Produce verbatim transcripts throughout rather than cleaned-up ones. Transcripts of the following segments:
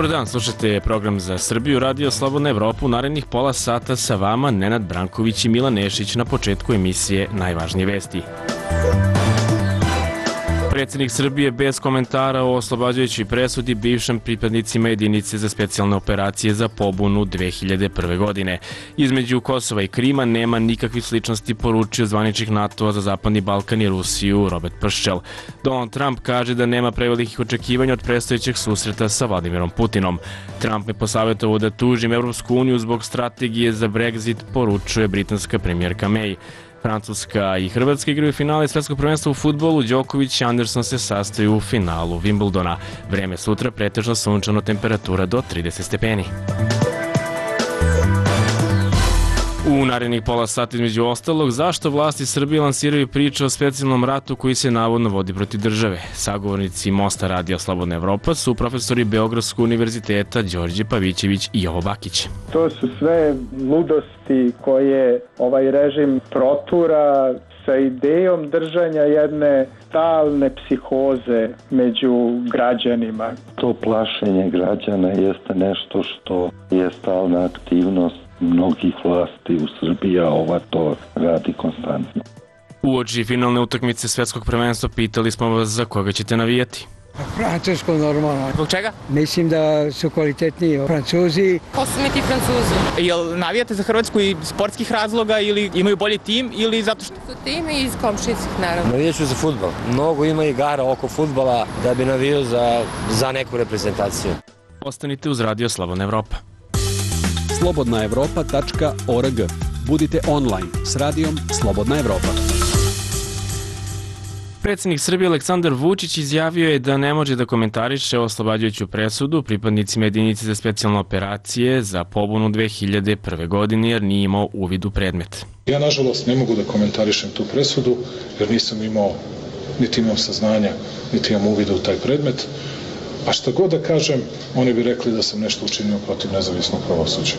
Dobar dan, slušate program za Srbiju, Radio Slobodna Evropa. U narednih pola sata sa vama Nenad Branković i Milan Nešić na početku emisije Najvažnije vesti. Predsjednik Srbije bez komentara o oslobađajućoj presudi bivšim pripadnicima jedinice za specijalne operacije za pobunu dve hiljade prve. godine. Između Kosova i Krima nema nikakvih sličnosti, poručio zvaničnik NATO-a za Zapadni Balkan i Rusiju Robert Prščel. Donald Trump kaže da nema prevelikih očekivanja od predstojećeg susreta sa Vladimirom Putinom. Trump me posavjetovao da tužim Evropsku uniju zbog strategije za Brexit, poručuje britanska premijerka May. Francuska i Hrvatska igraju finale svetskog prvenstva u fudbalu. Đoković i Anderson se sastaju u finalu Wimbledona. Vreme sutra pretežno sunčano, temperatura do trideset stepeni. U narednih pola sata između ostalog, zašto vlasti Srbije lansiraju priče o specijalnom ratu koji se navodno vodi protiv države. Sagovornici Mosta Radija Slobodna Evropa su profesori Beogradskog univerziteta Đorđe Pavićević i Jovo Bakić. To su sve ludosti koje ovaj režim protura sa idejom držanja jedne stalne psihoze među građanima. To plašenje građana jeste nešto što je stalna aktivnost mnogih vlasti u Srbiji, a ova to radi konstantno. Uoči finalne utakmice svetskog prvenstva pitali smo vas za koga ćete navijati. Francusko normalno. Zbog čega? Mislim da su kvalitetniji Francuzi. Ko su mi ti Francuzi? Jel navijate za Hrvatsku iz sportskih razloga ili imaju bolji tim ili zato što su tim i iz komšijskih naravno? Navijaću za fudbal. Mnogo ima igara oko fudbala da bi navijao za, za neku reprezentaciju. Ostanite uz Radio Slobodna Evropa. slobodna evropa tačka org. Budite online s radijom Slobodna Evropa. Predsjednik Srbije Aleksandar Vučić izjavio je da ne može da komentariše oslobađajuću presudu pripadnicima jedinice za specijalne operacije za pobunu dve hiljade prve. godine jer nije imao uvid u predmet. Ja nažalost ne mogu da komentarišem tu presudu jer nisam imao, niti imam saznanja, niti imam uvida u taj predmet. A šta god da kažem, oni bi rekli da sam nešto učinio protiv nezavisnog pravosuđa.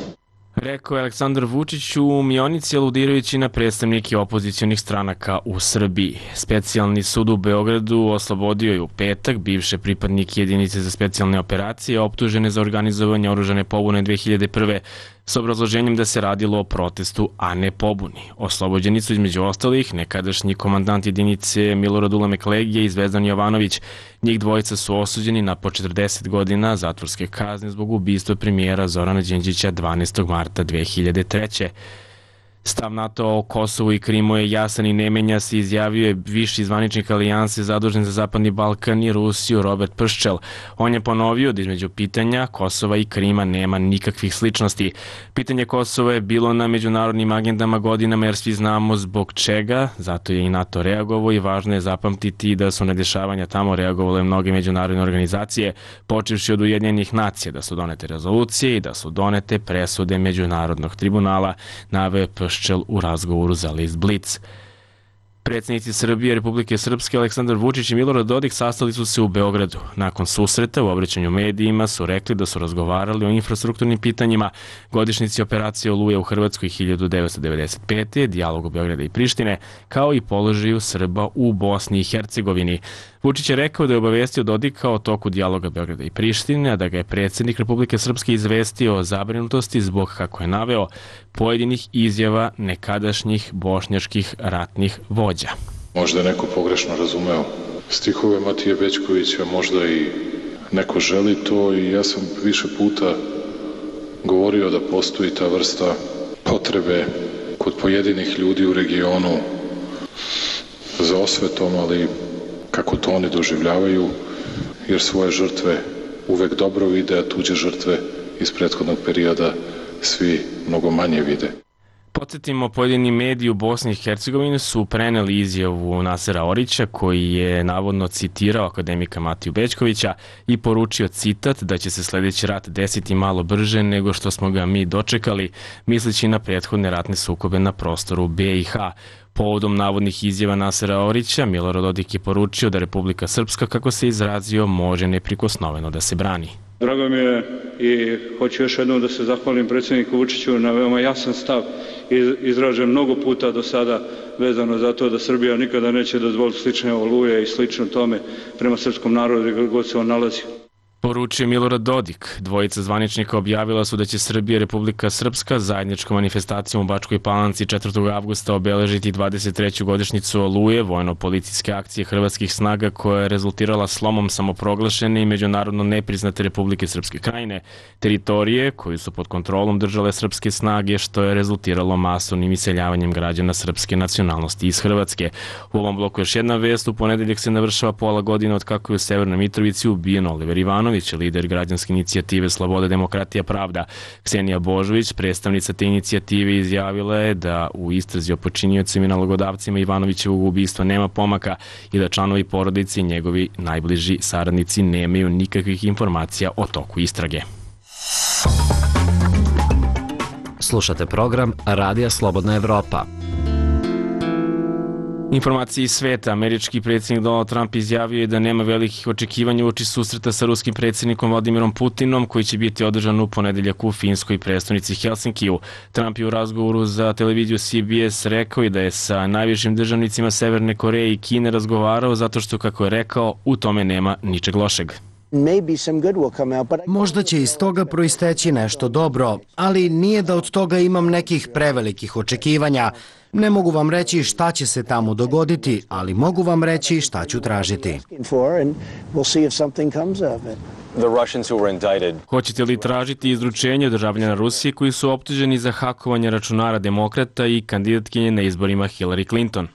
Rekao je Aleksandar Vučić u Mionici, aludirajući na predstavnike opozicionih stranaka u Srbiji. Specijalni sud u Beogradu oslobodio je u petak bivše pripadnike jedinice za specijalne operacije optužene za organizovanje oružane pobune dve hiljade prve. s obrazloženjem da se radilo o protestu, a ne pobuni. Oslobođeni su između ostalih nekadašnji komandant jedinice Milorad Ulemek Legije i Zvezdan Jovanović. Njih dvojica su osuđeni na po četrdeset godina zatvorske kazne zbog ubistva premijera Zorana Đinđića dvanaestog marta dve hiljade treće. Stav NATO o Kosovu i Krimu je jasan i ne menja se, izjavio je viši zvaničnik alijanse zadužen za Zapadni Balkan i Rusiju Robert Prščel. On je ponovio da između pitanja Kosova i Krima nema nikakvih sličnosti. Pitanje Kosova je bilo na međunarodnim agendama godinama jer svi znamo zbog čega, zato je i NATO reagovao i važno je zapamtiti da su na dešavanja tamo reagovale mnoge međunarodne organizacije, počevši od Ujedinjenih nacija, da su donete rezolucije i da su donete presude Međunarodnog tribunala, naveo Prščel u razgovoru za list Blic. Predsjednici Srbije, Republike Srpske, Aleksandar Vučić i Milorad Dodik sastali su se u Beogradu. Nakon susreta u obraćanju medijima su rekli da su razgovarali o infrastrukturnim pitanjima, godišnjici operacije Oluja u Hrvatskoj hiljadu devetsto devedeset pete. dijalogu Beograda i Prištine, kao i položaju Srba u Bosni i Hercegovini. Vučić je rekao da je obavestio Dodika o toku dijaloga Beograda i Prištine, a da ga je predsjednik Republike Srpske izvestio o zabrinutosti zbog, kako je naveo, pojedinih izjava nekadašnjih bošnjačkih ratnih vođa. Možda je neko pogrešno razumeo stihove Matije Bećkovića, možda i neko želi to, i ja sam više puta govorio da postoji ta vrsta potrebe kod pojedinih ljudi u regionu za osvetom, ali kako to oni doživljavaju, jer svoje žrtve uvek dobro vide, a tuđe žrtve iz prethodnog perioda svi mnogo manje vide. Podsjetimo, pojedini mediji u Bosni i Hercegovini su preneli izjavu Nasera Orića, koji je navodno citirao akademika Matiju Bećkovića i poručio citat da će se sledeći rat desiti malo brže nego što smo ga mi dočekali, misleći na prethodne ratne sukobe na prostoru be i ha. Povodom navodnih izjava Nasera Orića, Milorad Dodik je poručio da Republika Srpska, kako se izrazio, može neprikosnoveno da se brani. Drago mi je i hoću još jednom da se zahvalim predsjedniku Vučiću na veoma jasan stav izražen mnogo puta do sada vezano za to da Srbija nikada neće dozvoliti slične oluje i slično tome prema srpskom narodu gdje god se on nalazi. Poručio Milorad Dodik. Dvojica zvaničnika objavila su da će Srbija i Republika Srpska zajedničkom manifestacijom u Bačkoj Palanci četvrtog avgusta obeležiti dvadeset treću godišnjicu Oluje, vojno-policijske akcije hrvatskih snaga koja je rezultirala slomom samoproglašene i međunarodno nepriznate Republike Srpske Krajine, teritorije koju su pod kontrolom držale srpske snage, što je rezultiralo masovnim iseljavanjem građana srpske nacionalnosti iz Hrvatske. U ovom bloku još jedna vest. U ponedeljak se navršava pola godine od kako je u Severnoj Mitrovici ubijen Oliver Ivanović, lider građanske inicijative Sloboda, demokratija, pravda. Ksenija Božović, predstavnica te inicijative, izjavila je da u istrazi o počiniocima i nalogodavcima Ivanovićevog ubistva nema pomaka i da članovi porodice i njegovi najbliži saradnici nemaju nikakvih informacija o toku istrage. Slušate program Radija Slobodna Evropa. Informacije iz sveta. Američki predsjednik Donald Trump izjavio je da nema velikih očekivanja uoči susreta sa ruskim predsjednikom Vladimirom Putinom, koji će biti održan u ponedeljak u finskoj prestonici Helsinkiju. Trump je u razgovoru za televiziju C B S rekao i da je sa najvišim državnicima Severne Koreje i Kine razgovarao zato što, kako je rekao, u tome nema ničeg lošeg. Možda će iz toga proisteći nešto dobro, ali nije da od toga imam nekih prevelikih očekivanja. Ne mogu vam reći šta će se tamo dogoditi, ali mogu vam reći šta ću tražiti. Hoćete li tražiti izručenje državljana Rusije koji su optuženi za hakovanje računara demokrata i kandidatkinje na izborima Hillary Clinton?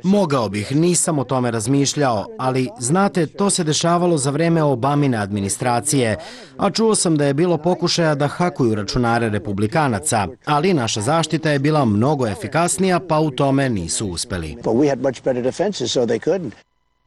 Mogao bih, nisam o tome razmišljao, ali znate, to se dešavalo za vreme Obamine administracije, a čuo sam da je bilo pokušaja da hakuju računare republikanaca, ali naša zaštita je bila mnogo efikasnija, pa u tome nisu uspeli.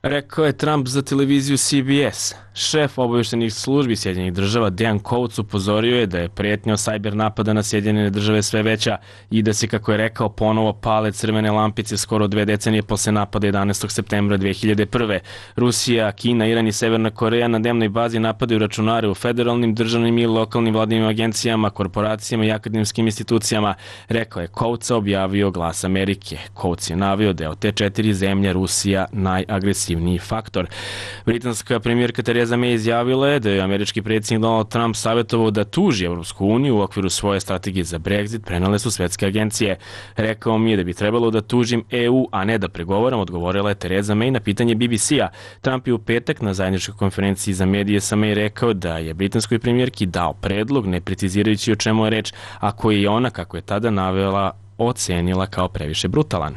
Rekao je Trump za televiziju C B S. Šef obavještajnih službi Sjedinjenih država Dejan Coates upozorio je da je pretnja sajber napada na Sjedinjene države sve veća i da se, kako je rekao, ponovo pale crvene lampice skoro dve decenije posle napada jedanaestog septembra dve hiljade prve. Rusija, Kina, Iran i Severna Koreja na dnevnoj bazi napadaju računare u federalnim, državnim i lokalnim vladinim agencijama, korporacijama i akademskim institucijama, rekao je Coates, objavio Glas Amerike. Coates je naveo da je od te četiri zemlje Rusija najagresivniji faktor. Britanska premijerka Theresa May izjavila je da je američki predsjednik Donald Trump savjetovao da tuži Evropsku uniju u okviru svoje strategije za Brexit, prenale su svetske agencije. Rekao mi je da bi trebalo da tužim E U, a ne da pregovaram, odgovorila je Theresa May na pitanje B B C-a. Trump je u petak na zajedničkoj konferenciji za medije sa May rekao da je britanskoj premijerki dao predlog, ne precizirajući o čemu je reč, a koji je ona, kako je tada navela, ocenila kao previše brutalan.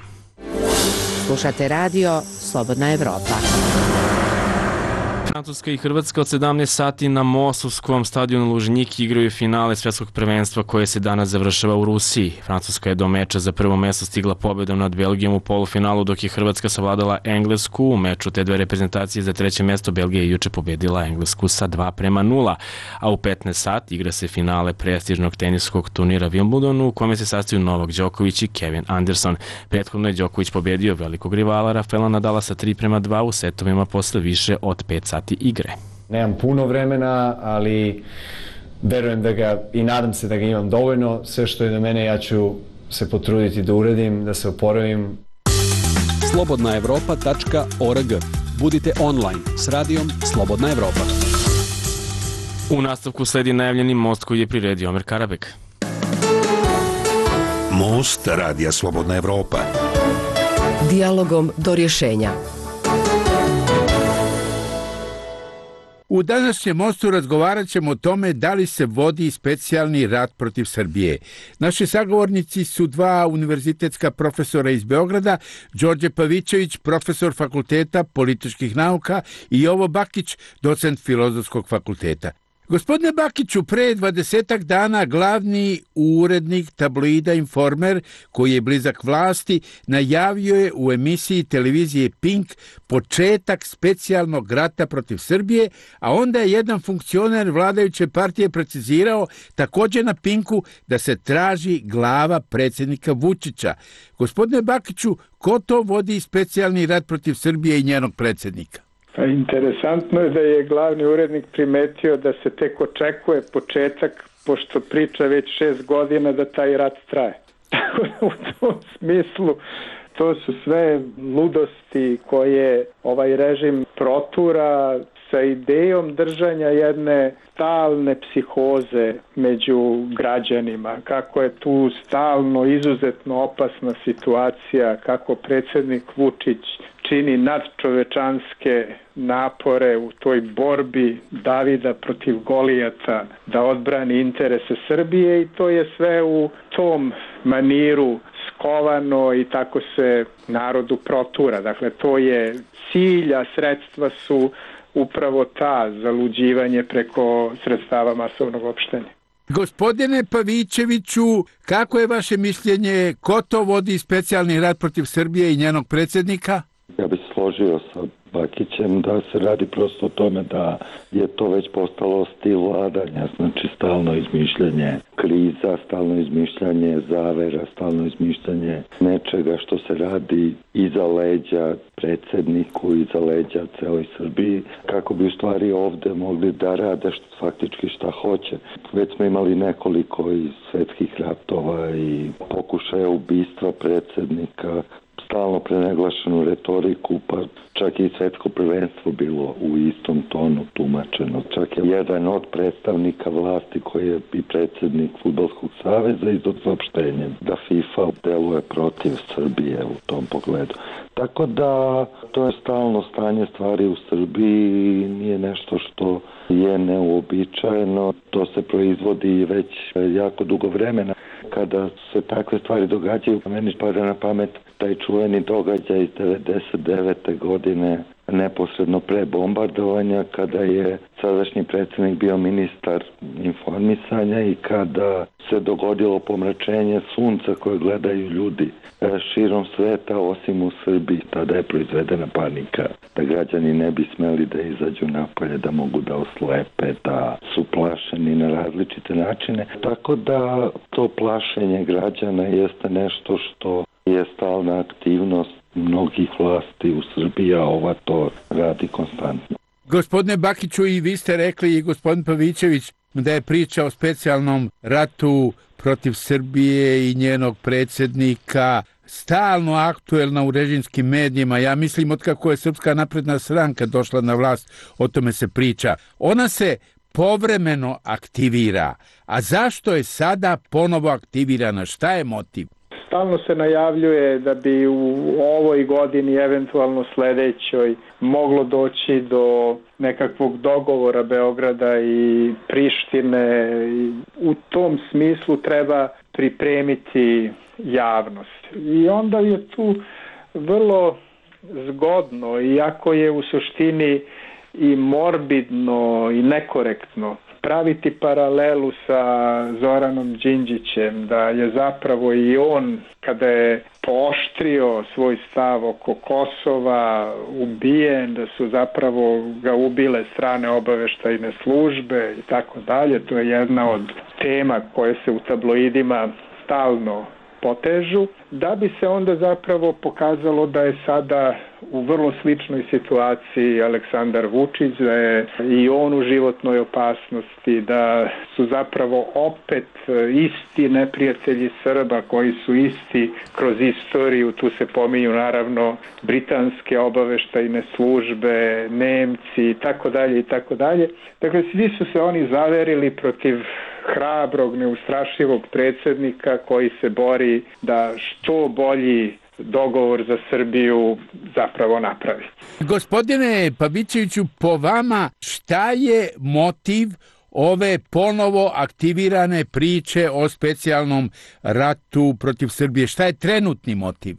Slušate radio Slobodna Evropa. Francuska i Hrvatska od sedamnaest sati na Mosovskom stadionu Lužnjiki igraju finale svetskog prvenstva koje se danas završava u Rusiji. Francuska je do meča za prvo mesto stigla pobedom nad Belgijom u polufinalu, dok je Hrvatska savladala Englesku. U meču te dve reprezentacije za treće mesto Belgija je juče pobedila Englesku sa dva prema nula, a u petnaest sati igra se finale prestižnog teniskog turnira Wimbledonu, u kome se sastaju Novak Đoković i Kevin Anderson. Prethodno je Đoković pobedio velikog rivala Rafaela Nadala sa tri prema dva u setovima posle više od pet sati igre. Nemam puno vremena, ali verujem da ga i nadam se da ga imam dovoljno. Sve što je do mene ja ću se potruditi da uradim, da se oporavim. slobodna evropa tačka org. Budite online s radijom Slobodna Evropa. U nastavku sledi najavljeni most koji je priredio Omer Karabek. Most Radija Slobodna Evropa. Dijalogom do rješenja. U današnjem mostu razgovarat ćemo o tome da li se vodi specijalni rat protiv Srbije. Naši sagovornici su dva univerzitetska profesora iz Beograda, Đorđe Pavićević, profesor Fakulteta političkih nauka, i Jovo Bakić, docent Filozofskog fakulteta. Gospodine Bakiću, pre dvadesetak dana glavni urednik tabloida Informer, koji je blizak vlasti, najavio je u emisiji televizije Pink početak specijalnog rata protiv Srbije, a onda je jedan funkcioner vladajuće partije precizirao također na Pinku da se traži glava predsjednika Vučića. Gospodine Bakiću, ko to vodi specijalni rat protiv Srbije i njenog predsjednika? Pa interesantno je da je glavni urednik primetio da se tek očekuje početak, pošto priča već šest godina da taj rat traje. U tom smislu to su sve ludosti koje ovaj režim protura sa idejom držanja jedne stalne psihoze među građanima, kako je tu stalno izuzetno opasna situacija, kako predsjednik Vučić čini nadčovečanske napore u toj borbi Davida protiv Golijata da odbrani interese Srbije i to je sve u tom maniru skovano i tako se narodu protura. Dakle, to je cilj, a sredstva su upravo ta, zaluđivanje preko sredstava masovnog opštenja. Gospodine Pavićeviću, kako je vaše mišljenje, ko to vodi specijalni rat protiv Srbije i njenog predsjednika? Ja bih složio sa Bakićem da se radi prosto o tome da je to već postalo stil vladanja, znači stalno izmišljanje kriza, stalno izmišljanje zavera, stalno izmišljanje nečega što se radi iza leđa predsjedniku, iza leđa celoj Srbiji, kako bi u stvari ovde mogli da rade što, faktički šta hoće. Već smo imali nekoliko i svetskih ratova i pokušaja ubistva predsjednika, stalno prenaglašenu retoriku, pa čak i svetsko prvenstvo bilo u istom tonu tumačeno. Čak je jedan od predstavnika vlasti koji je i predsjednik Fudbalskog saveza izdao saopštenje da FIFA deluje protiv Srbije u tom pogledu. Tako da to je stalno stanje stvari u Srbiji, nije nešto što je neuobičajeno, to se proizvodi već jako dugo vremena. Kada se takve stvari događaju, meni pada na pamet taj čuveni događaj iz devedeset devete godine, neposredno pre bombardovanja, kada je sadašnji predsjednik bio ministar informisanja i kada se dogodilo pomračenje sunca koje gledaju ljudi širom sveta, osim u Srbiji. Tada je proizvedena panika, da građani ne bi smeli da izađu napolje, da mogu da oslepe, da su plašeni na različite načine. Tako da to plašenje građana jeste nešto što je stalna aktivnost mnogih vlasti u Srbiji, a ova to radi konstantno. Gospodine Bakiću, i vi ste rekli, i gospodin Pavićević, da je priča o specijalnom ratu protiv Srbije i njenog predsjednika stalno aktuelna u režimskim medijima. Ja mislim, otkako je Srpska napredna stranka došla na vlast, o tome se priča. Ona se povremeno aktivira. A zašto je sada ponovo aktivirana? Šta je motiv? Stalno se najavljuje da bi u ovoj godini, eventualno sledećoj, moglo doći do nekakvog dogovora Beograda i Prištine. U tom smislu treba pripremiti javnost. I onda je tu vrlo zgodno, iako je u suštini i morbidno i nekorektno, praviti paralelu sa Zoranom Đinđićem, da je zapravo i on, kada je pooštrio svoj stav oko Kosova, ubijen, da su zapravo ga ubile strane obaveštajne službe i tako dalje. To je jedna od tema koje se u tabloidima stalno potežu, da bi se onda zapravo pokazalo da je sada u vrlo sličnoj situaciji Aleksandar Vučić, da je i on u životnoj opasnosti, da su zapravo opet isti neprijatelji Srba koji su isti kroz istoriju, tu se pominju naravno britanske obaveštajne službe, Nemci i tako dalje i tako dalje. Dakle, svi su se oni zaverili protiv hrabrog, neustrašivog predsjednika koji se bori da što bolji dogovor za Srbiju zapravo napravi. Gospodine Pavićeviću, po vama šta je motiv ove ponovo aktivirane priče o specijalnom ratu protiv Srbije? Šta je trenutni motiv?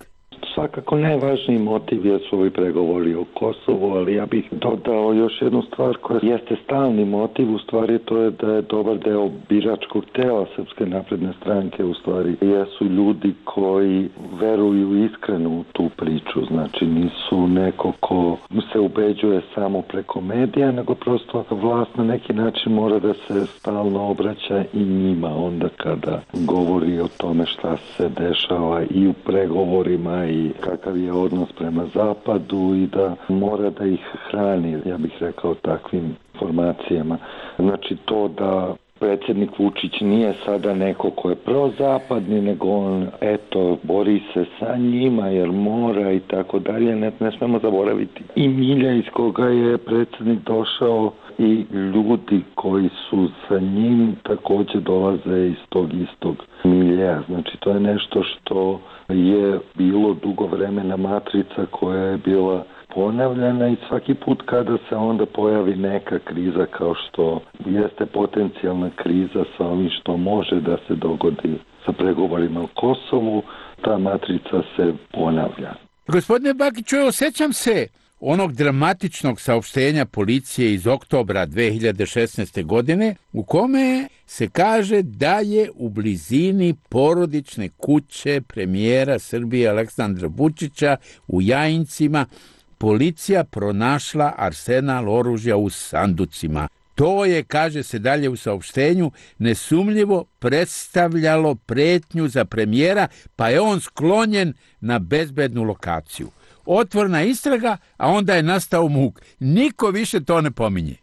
Svakako najvažniji motiv jesu ovi pregovori o Kosovu, ali ja bih dodao još jednu stvar koja jeste stalni motiv, u stvari to je da je dobar deo biračkog tela Srpske napredne stranke, u stvari jesu ljudi koji veruju iskreno u tu priču, znači nisu neko ko se ubeđuje samo preko medija, nego prosto vlast na neki način mora da se stalno obraća i njima onda kada govori o tome šta se dešava i u pregovorima i kakav je odnos prema zapadu i da mora da ih hrani, ja bih rekao, takvim informacijama. Znači to da predsjednik Vučić nije sada neko ko je prozapadni, nego on, eto, bori se sa njima jer mora i tako dalje. Ne, ne smemo zaboraviti i milja iz koga je predsjednik došao i ljudi koji su sa njim također dolaze iz tog istog milja. Znači, to je nešto što je bilo dugo vremena matrica koja je bila ponavljana i svaki put kada se onda pojavi neka kriza kao što jeste potencijalna kriza sa ovim što može da se dogodi sa pregovorima o Kosovu, ta matrica se ponavlja. Gospodine Bakiću, osjećam se onog dramatičnog saopštenja policije iz oktobra dve hiljade šesnaeste. godine u kome se kaže da je u blizini porodične kuće premijera Srbije Aleksandra Vučića u Jajincima policija pronašla arsenal oružja u sanducima. To je, kaže se dalje u saopštenju, nesumljivo predstavljalo pretnju za premijera, pa je on sklonjen na bezbednu lokaciju. Otvorena istraga, a onda je nastao muk. Niko više to ne pominje.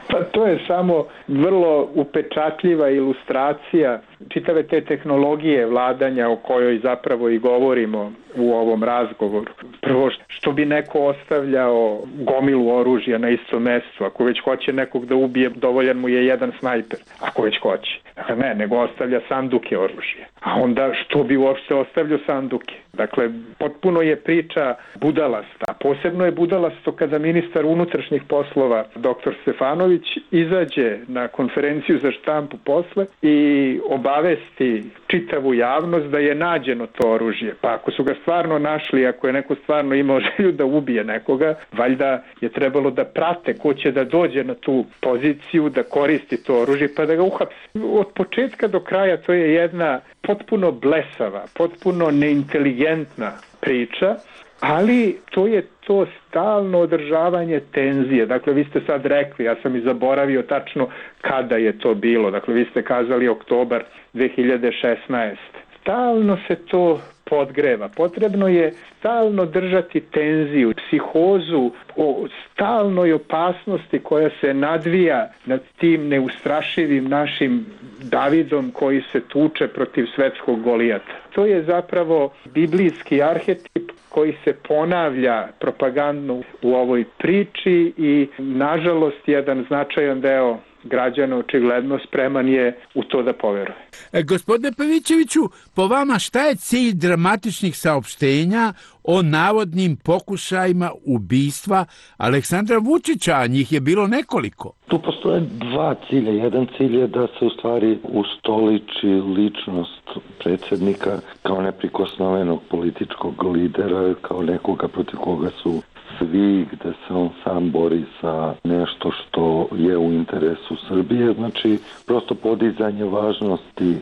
Pa to je samo vrlo upečatljiva ilustracija čitave te tehnologije vladanja o kojoj zapravo i govorimo u ovom razgovoru. Prvo, što bi neko ostavljao gomilu oružja na istom mestu, ako već hoće nekog da ubije, dovoljan mu je jedan snajper, ako već hoće. Dakle, ne, nego ostavlja sanduke oružja. A onda što bi uopšte ostavljao sanduke? Dakle, potpuno je priča budalasta. Posebno je budalasto kada ministar unutrašnjih poslova, doktor Stefanović, izađe na konferenciju za štampu posle i obavesti čitavu javnost da je nađeno to oružje. Pa ako su ga stvarno našli, ako je neko stvarno imao želju da ubije nekoga, valjda je trebalo da prate ko će da dođe na tu poziciju, da koristi to oružje pa da ga uhapse. Od početka do kraja to je jedna potpuno blesava, potpuno neinteligentna priča, ali to je to stalno održavanje tenzije. Dakle, vi ste sad rekli, ja sam i zaboravio tačno kada je to bilo. Dakle, vi ste kazali oktobar dve hiljade šesnaeste. Stalno se to podgreva. Potrebno je stalno držati tenziju, psihozu o stalnoj opasnosti koja se nadvija nad tim neustrašivim našim Davidom koji se tuče protiv svetskog Golijata. To je zapravo biblijski arhetip koji se ponavlja propagandno u ovoj priči i nažalost jedan značajan deo građana očigledno spreman je u to da poveruje. E, gospodine Pavićeviću, po vama šta je cilj dramatičnih saopštenja o navodnim pokušajima ubistva Aleksandra Vučića, a njih je bilo nekoliko? Tu postoje dva cilja. Jedan cilj je da se u stvari ustoliči ličnost predsjednika kao neprikosnovenog političkog lidera, kao nekoga protiv koga su svi, gde se on sam bori sa nešto što je u interesu Srbije, znači prosto podizanje važnosti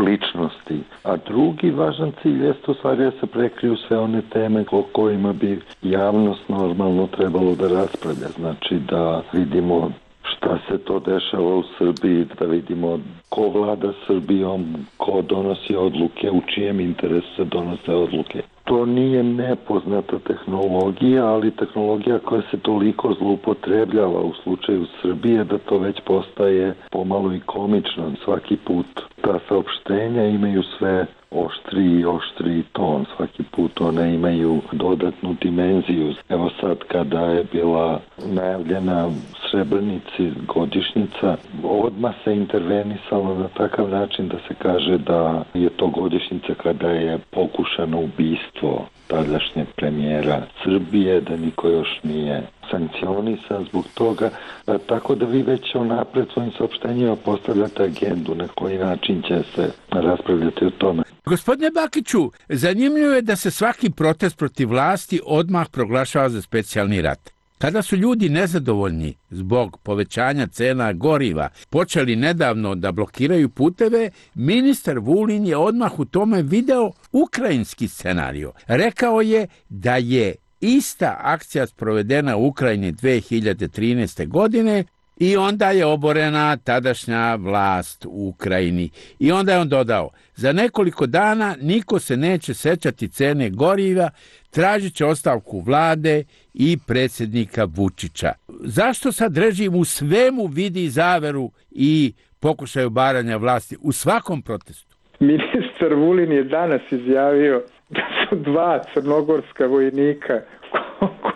ličnosti. A drugi važan cilj jeste u stvari da se prekriju sve one teme o kojima bi javnost normalno trebalo da raspravlja. Znači da vidimo šta se to dešava u Srbiji, da vidimo ko vlada Srbijom, ko donosi odluke, u čijem interesu se donose odluke. To nije nepoznata tehnologija, ali tehnologija koja se toliko zloupotrebljava u slučaju Srbije da to već postaje pomalo i komično. Svaki put ta saopštenja imaju sve oštriji i oštriji ton. Svaki put one imaju dodatnu dimenziju. Evo sad kada je bila najavljena Srebrenici godišnjica, odmah se intervenisalo na takav način da se kaže da je to godišnjica kada je pokušano ubistvo tadašnjeg premijera Srbije, da niko još nije sankcionisan zbog toga, a, tako da vi već onapred svojim saopštenjima postavljate agendu na koji način će se raspravljati o tome. Gospodine Bakiću, zanimljivo je da se svaki protest protiv vlasti odmah proglašava za specijalni rat. Kada su ljudi nezadovoljni zbog povećanja cena goriva počeli nedavno da blokiraju puteve, ministar Vulin je odmah u tome video ukrajinski scenario. Rekao je da je ista akcija sprovedena u Ukrajini dve hiljade trinaeste. godine I onda je oborena tadašnja vlast u Ukrajini. I onda je on dodao, za nekoliko dana niko se neće sećati cene goriva, tražit će ostavku vlade i predsjednika Vučića. Zašto sad režim u svemu vidi zaveru i pokušaj obaranja vlasti u svakom protestu? Ministar Vulin je danas izjavio da su dva crnogorska vojnika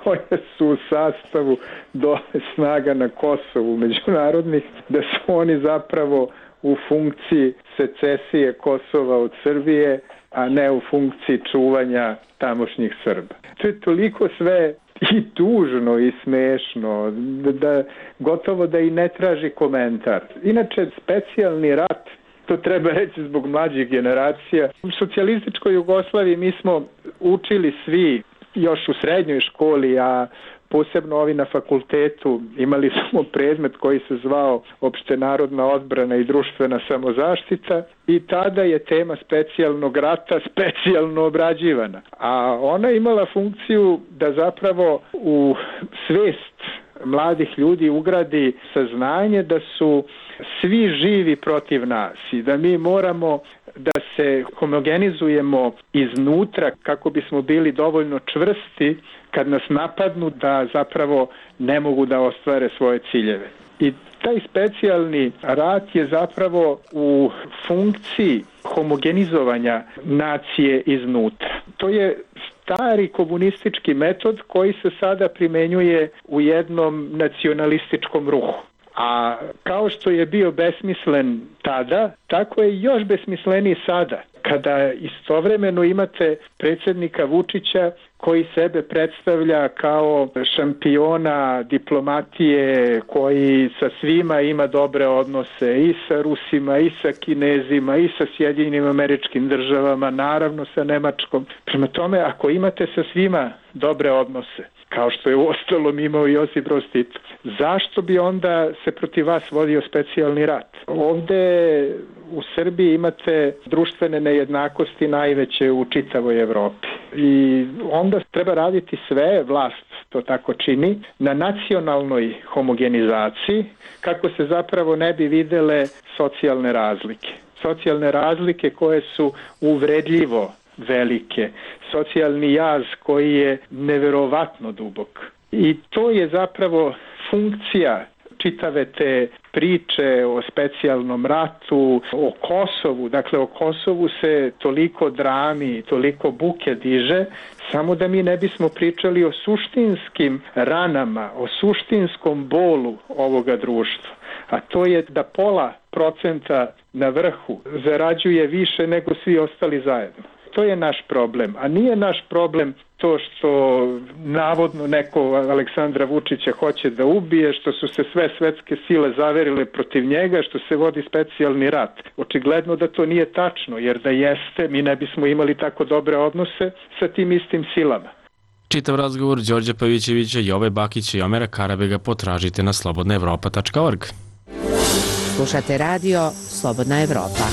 koje su u sastavu dole snaga na Kosovu međunarodnih, da su oni zapravo u funkciji secesije Kosova od Srbije, a ne u funkciji čuvanja tamošnjih Srba. To je toliko sve i tužno i smešno, da, da gotovo da i ne traži komentar. Inače, specijalni rat, to treba reći zbog mlađih generacija. U socijalističkoj Jugoslaviji mi smo učili svi još u srednjoj školi, a posebno ovi na fakultetu, imali smo predmet koji se zvao opštenarodna odbrana i društvena samozaštita i tada je tema specijalnog rata specijalno obrađivana. A ona je imala funkciju da zapravo u svest mladih ljudi ugradi saznanje da su svi živi protiv nas i da mi moramo da se homogenizujemo iznutra kako bismo bili dovoljno čvrsti kad nas napadnu da zapravo ne mogu da ostvare svoje ciljeve. I taj specijalni rat je zapravo u funkciji homogenizovanja nacije iznutra. To je stari komunistički metod koji se sada primenjuje u jednom nacionalističkom ruhu. A kao što je bio besmislen tada, tako je još besmisleniji sada, kada istovremeno imate predsjednika Vučića koji sebe predstavlja kao šampiona diplomatije, koji sa svima ima dobre odnose, i sa Rusima, i sa Kinezima, i sa Sjedinjenim Američkim Državama, naravno sa Nemačkom. Prema tome, ako imate sa svima dobre odnose, kao što je uostalom imao Josip Broz Tito, zašto bi onda se protiv vas vodio specijalni rat? Ovde u Srbiji imate društvene nejednakosti najveće u čitavoj Evropi. I onda treba raditi sve, vlast to tako čini, na nacionalnoj homogenizaciji kako se zapravo ne bi videle socijalne razlike. Socijalne razlike koje su uvredljivo velike, socijalni jaz koji je neverovatno dubok. I to je zapravo funkcija čitave te priče o specijalnom ratu, o Kosovu. Dakle, o Kosovu se toliko drami, toliko buke diže, samo da mi ne bismo pričali o suštinskim ranama, o suštinskom bolu ovoga društva. A to je da pola procenta na vrhu zarađuje više nego svi ostali zajedno. To je naš problem, a nije naš problem to što navodno neko Aleksandra Vučića hoće da ubije, što su se sve svetske sile zaverile protiv njega, što se vodi specijalni rat. Očigledno da to nije tačno, jer da jeste, mi ne bismo imali tako dobre odnose sa tim istim silama. Čitav razgovor Đorđa Pavićevića, Jove Bakića i Omera Karabega potražite na slobodna evropa tačka org. Slušate radio Slobodna Evropa.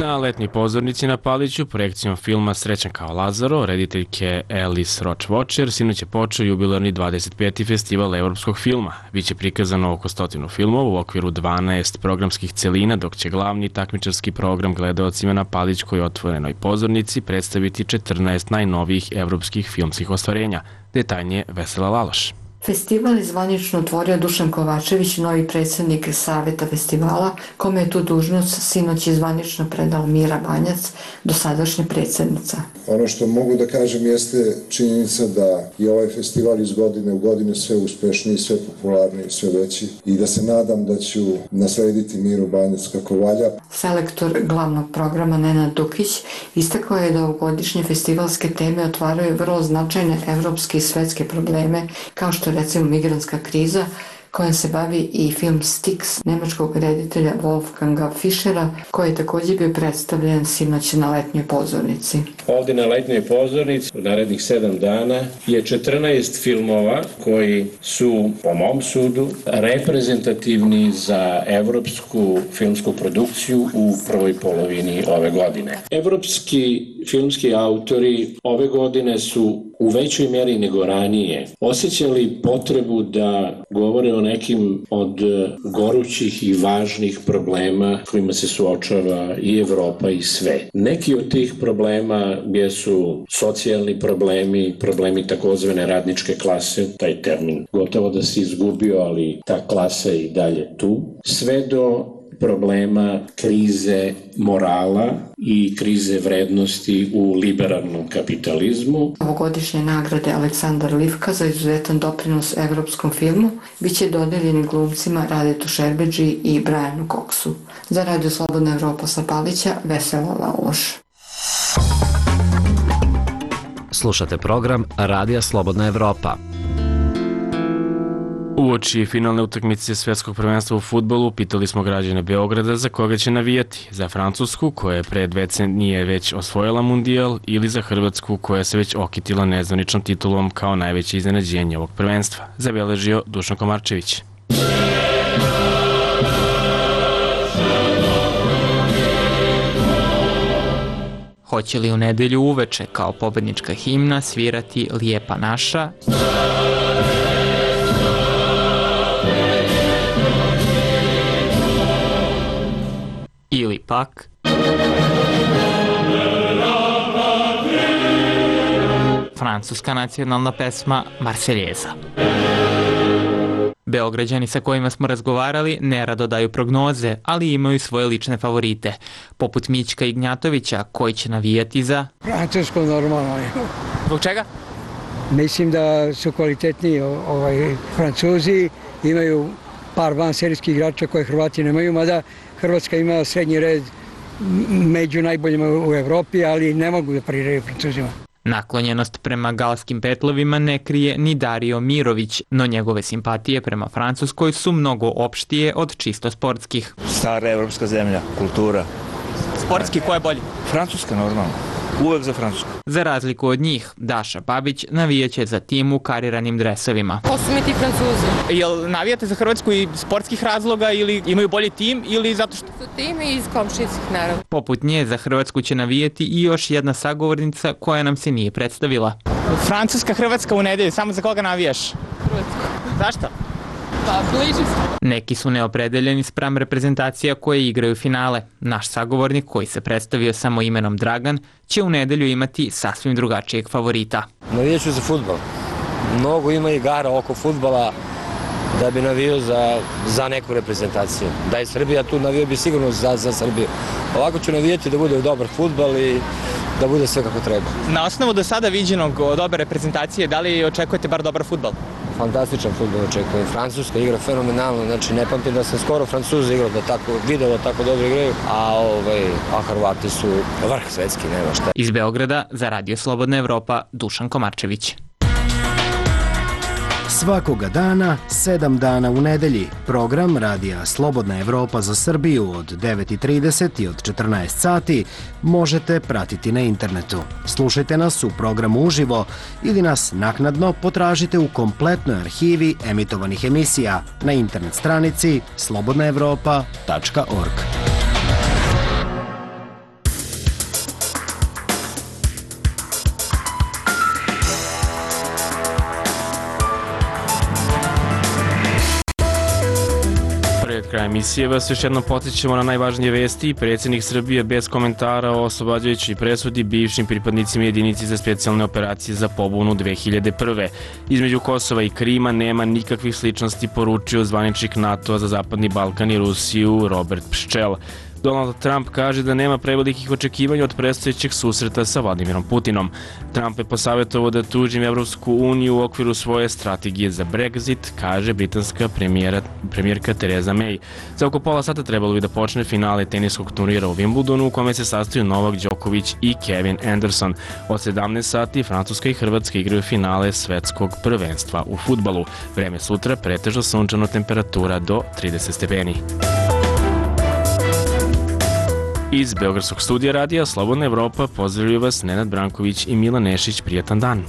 Na letnjoj pozornici na Paliću projekcijom filma Srećan kao Lazaro, rediteljke Alice Roach-Watcher, sinoć je počeo jubilarni dvadeset peti festival evropskog filma. Biće prikazano oko stotinu filmova u okviru dvanaest programskih celina, dok će glavni takmičarski program gledaocima na Palićkoj otvorenoj pozornici predstaviti četrnaest najnovijih evropskih filmskih ostvarenja. Detaljnije Vesela Laloš. Festival je zvanično otvorio Dušan Kovačević, novi predsjednik Saveta festivala, kome je tu dužnost sinoć je zvanično predala Mira Banjac, dosadašnja predsjednica. Ono što mogu da kažem jeste činjenica da je ovaj festival iz godine u godine sve uspešniji, sve popularniji, sve veći i da se nadam da ću naslediti Miru Banjac kako valja. Selektor glavnog programa Nenad Dukić istakao je da ovogodišnje festivalske teme otvaraju vrlo značajne evropske i svetske probleme, kao što recimo migrantska kriza, kojom se bavi i film Styx nemačkog reditelja Wolfganga Fischera, koji je također bio predstavljen sinoć na letnjoj pozornici. Ovdje na letnjoj pozornici u narednih sedam dana je četrnaest filmova koji su, po mom sudu, reprezentativni za evropsku filmsku produkciju u prvoj polovini ove godine. Evropski filmski autori ove godine su u većoj mjeri nego ranije osjećali potrebu da govore o nekim od gorućih i važnih problema kojima se suočava i Evropa i sve. Neki od tih problema jesu socijalni problemi, problemi takozvane radničke klase, taj termin gotovo da se izgubio, ali ta klasa je i dalje tu, sve do problema krize morala i krize vrednosti u liberalnom kapitalizmu. Ovogodišnje nagrade Aleksandar Livka za izuzetan doprinos evropskom filmu biće dodeljeni glumcima Radetu Šerbedži i Brianu Coxu. Za Radio Slobodna Evropa sa Palića, Vesela Laloš. Slušate program Radija Slobodna Evropa. Uoči finalne utakmice Svetskog prvenstva u fudbalu pitali smo građane Beograda za koga će navijati, za Francusku koja je pre dve decenije već osvojila mundijal ili za Hrvatsku koja se već okitila nezvaničnom titulom kao najveće iznenađenje ovog prvenstva, zabeležio Dušan Komarčević. Hoće li u nedelju uveče kao pobednička himna svirati Lijepa naša? Ili pak francuska nacionalna pesma Marseljeza. Beograđani sa kojima smo razgovarali nerado daju prognoze, ali imaju svoje lične favorite, poput Mićka Ignjatovića koji će navijati za... Francusko normalno. Zbog čega? Mislim da su kvalitetniji ovaj, Francuzi, imaju par vanserijskih igrača koje Hrvati nemaju, mada Hrvatska ima srednji red među najboljima u Evropi, ali ne mogu da pariraju Francuzima. Naklonjenost prema galskim petlovima ne krije ni Dario Mirović, no njegove simpatije prema Francuskoj su mnogo opštije od čisto sportskih. Stara evropska zemlja, kultura. Sportski, ko je bolji? Francuska, normalno. Uvek za Francusku. Za razliku od njih, Daša Babić navijaće za tim u kariranim dresovima. Ko su mi ti Francuzi? Jel navijate za Hrvatsku iz sportskih razloga ili imaju bolji tim ili zato što... Su tim i iz komšijskih naravno. Poput nje za Hrvatsku će navijati i još jedna sagovornica koja nam se nije predstavila. Francuska, Hrvatska u nedelju, samo za koga navijaš? Hrvatsku. Zašto? Pa, bliži se. Neki su neopredeljeni spram reprezentacija koje igraju finale. Naš sagovornik, koji se predstavio samo imenom Dragan, će u nedelju imati sasvim drugačijeg favorita. Navijaću za fudbal. Mnogo ima igara oko fudbala da bi navio za, za neku reprezentaciju. Da je Srbija tu, navio bi sigurno za, za Srbiju. Ovako ću navijati da bude dobar fudbal i da bude sve kako treba. Na osnovu do sada viđenog dobre reprezentacije, da li očekujete bar dobar fudbal? Fantastičan fudbal očekujem. Francuska igra fenomenalno, znači ne pamtim da sam skoro Francuzi igrao da tako, video da tako dobro igraju, a, ovaj, a Hrvati su vrh svetski, nema šta. Iz Beograda za Radio Slobodna Evropa, Dušan Komarčević. Svakoga dana, sedam dana u nedelji, program Radija Slobodna Evropa za Srbiju od devet i trideset i od četrnaest sati možete pratiti na internetu. Slušajte nas u programu uživo ili nas naknadno potražite u kompletnoj arhivi emitovanih emisija na internet stranici slobodna evropa tačka org. Kraja emisije vas još jednom podsjećamo na najvažnije vesti. Predsjednik Srbije bez komentara o oslobađajućoj presudi bivšim pripadnicima jedinici za specijalne operacije za pobunu dve hiljade prve. Između Kosova i Krima nema nikakvih sličnosti, poručio zvaničnik NATO-a za Zapadni Balkan i Rusiju Robert Pščel. Donald Trump kaže da nema prevelikih očekivanja od predstojećeg susreta sa Vladimirom Putinom. Trump je posavjetovao da tuži Evropsku uniju u okviru svoje strategije za Brexit, kaže britanska premijera, premijerka Theresa May. Za oko pola sata trebalo bi da počne finale teniskog turnira u Wimbledonu u kome se sastaju Novak Đoković i Kevin Anderson. Od sedamnaest sati Francuska i Hrvatska igraju finale svetskog prvenstva u fudbalu. Vreme sutra pretežno sunčano, temperatura do trideset stepeni. Iz Beogradskog studija Radija Slobodna Evropa pozdravljaju vas Nenad Branković i Milan Nešić. Prijatan dan.